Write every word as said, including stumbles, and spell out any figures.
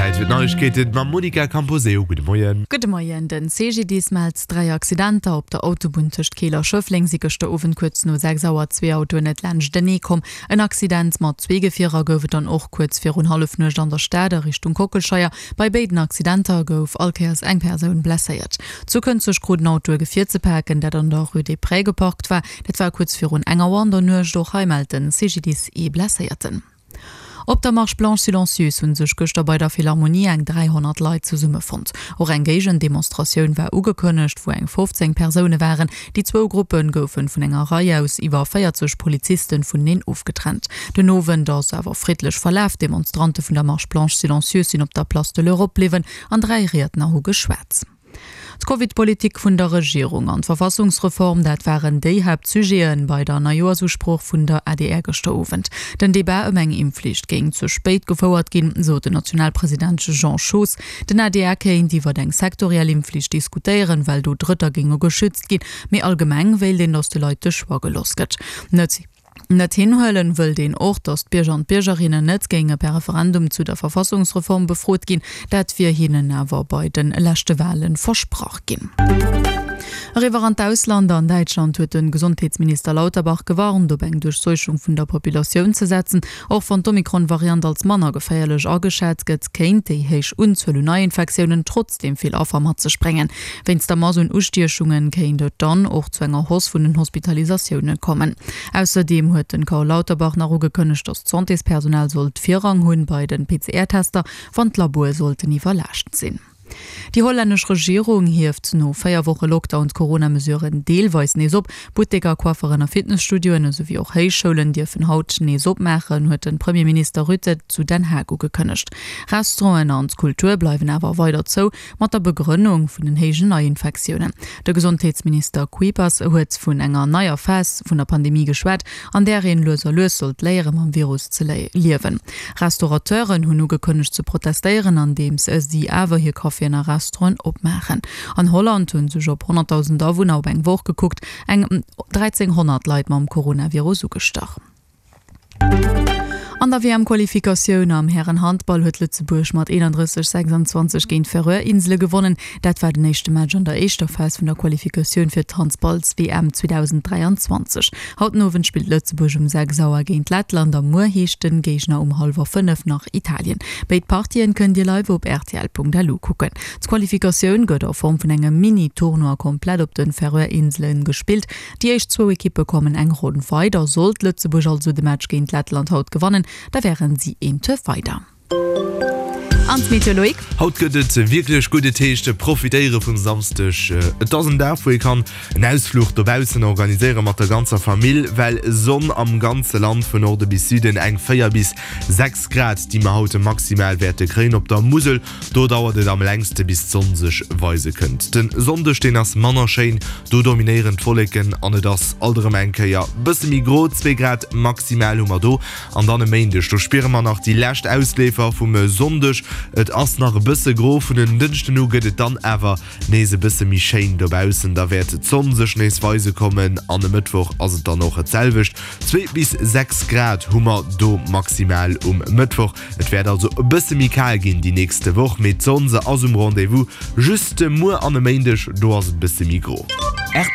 Zäit fir d'Neiegkeeten mam Monica Camposeo. Gudde Moien. Gudde Moien. Den C G D I S mellt dräi Accidenter. Op der Autobunn tëscht Keel a Schëffleng si gëschter Owend kuerz no sechs Auer zwee Autoen net laanschtenee komm. En Accident mat zwee Gefierer gouf et dann och kuerz virun Hallefnuecht an der Stad a Richtung Kockelscheier. Bei béiden Accidenter gouf all Kéiers eng Persoun blesséiert. Zu Kënzeg krut en Auto e Gefier ze paken, dat an der Rue des Prés geparkt war. Dat war kuerz virun eng Auer an der Nuecht. Och hei mellt den C G D I S ee Blesséierten. Op der Marche blanche silencieuse hunn sech gëschter bei der Philharmonie eng dräihonnert Leit zesummefonnt. Och eng Géigendemonstratioun war ugekënnegt, wou eng fofzéng Persoune waren. Déi zwou Gruppe goufe vun enger Rei aus iwwer véierzeg Polizisten vuneneen ofgetrennt. Den Owend ass awer friddlech verlaf. D'Demonstrante vun der Marche blanche silencieuse sinn op der Place de l'Europe bliwwen an dräi Riedner hu geschwat. D'Covid-Politik vun der Regierung an d'Verfassungsreform, dat waren déi Haaptsujeten bei der Neijoerschusprooch vun der A D R gëschter Owend. Den Debat ëm eng Impfflicht géing ze spéit gefouert ginn, sot den Nationalpresident Jean Schoos. Den A D R kéint iwwer eng sektoriell Impfflicht diskutéieren, well do Drëtter géinge geschützt ginn, mee allgemeng wéilt een, datt de Leit de Choix gelooss gëtt. Net Net hinhuelen wëllt een och, datt d'Bierger an d'Biergerinnen net géinge per Referendum zu der Verfassungsreform befrot ginn. Dat wier hinnen awer bei de leschte Wale versprach ginn. Eriwwer an d'Ausland. An Däitschland huet de Gesondheetsminister Lauterbach gewarnt, op eng Duerchseuchung vun der Populatioun ze setzen. Och wann d'Omikron-Variant als manner geféierlech ageschat gëtt, kéint déi héich Unzuel un Neiinfektiounen trotzdeem vill Affer mat sech bréngen. Wéinst der Mass un Ustiechunge kéint et dann och zu enger Hausse vun den Hospitalisatioune kommen. Ausserdeem huet den Karl Lauterbach nach ugekënnegt, datt d'Santéspersonal sollt Virrang hunn bei den P C R-Tester, wann d'Laboe sollten iwwerlaascht sinn. Déi hollännesch Regierung hieft no véier Woche Lockdown d'Corona-Mesuren deelweis nees op. Butteker, Coifferen a Fitnesstudioen esouwéi och Héichschoulen dierfen haut nees opmaachen, huet de Premierminister Rutte zu Den Haag ugekënnegt. Restauranten an d'Kultur bleiwen awer weider zou, mat der Begrënnung vun den héijen Neiinfektiounen. De Gesondheetsminister Kuipers huet vun enger neier Phas vun der Pandemie geschwat, an där een lues a lues sollt léiere mam Virus ze liewen. Restaurateuren hunn ugekënnegt ze protestéieren, andeems si awer hir Caféen a Restauranten opmaachen. An Holland hunn sech op honnertdausend Awunner op eng Woch gekuckt eng dräizénghonnert Leit mam Coronavirus ugestach. An der W M-Qualifikatioun am Härenhandball huet Lëtzebuerg mat eenandrësseg, sechsanzwanzeg géint d'Färöer-Insele gewonnen. Dat war den éischte Match an der éischter Phas vun der Qualifikatioun fir d'Handballs-W M zweedausend dräianzwanzeg. Haut den Owend spillt Lëtzebuerg um sechs Auer géint Lettland a muer heescht de Géigner um hallwer fënnef nach Italien. Béid Partien kënnt Dir live op R T L Punkt L U kucken. D'Qualifikatioun gëtt a Form vun engem Mini-Tournoi komplett op de Färöer-Insele gespillt. Déi éischt zwou Ekippe kommen eng Ronn weider. Sollt Lëtzebuerg also de Match géint Lettland haut gewannen, da wären si een Tour weider. An d'Meteo, Loïc. Haut gëtt et wierklech gutt, et heescht profitéiere vum Samschdeg. Et ass en Dag, wou ee kann en Ausfluch dobaussen organiséiere mat der ganzer Famill, well Sonn am ganze Land vun Norde bis Süden, eng véier bis sechs Grad, déi mer haut maximal wäerte kréien. Op der Musel, do dauert et am längste bis d'Sonn sech weise kënnt. De Sonndeg, deen ass manner schéin, do dominéieren d'Wolleken an et ass alt erëm eng Kéier bësse méi gro, zwee Grad maximal hu mer do. An dann e Méindeg, do spiere mer nach déi lescht Ausleefer vum Sonndeg, et ass nach e bësse gro. Vun en Dënschden u gëtt et dann awer nees e bësse méi schéin dobaussen, da wäert d'Sonn sech nees weise kommen an e Mëttwoch ass et dann och et selwecht. Zwee bis sechs Grad hu mer do maximal um Mëttwoch. Et wäert also e bësse méi kal ginn déi nächste Woch, mee d'Sonn, se ass um Rendez-vous. Just muer an e Méindeg, do ass et e bësse méi gro. R T L.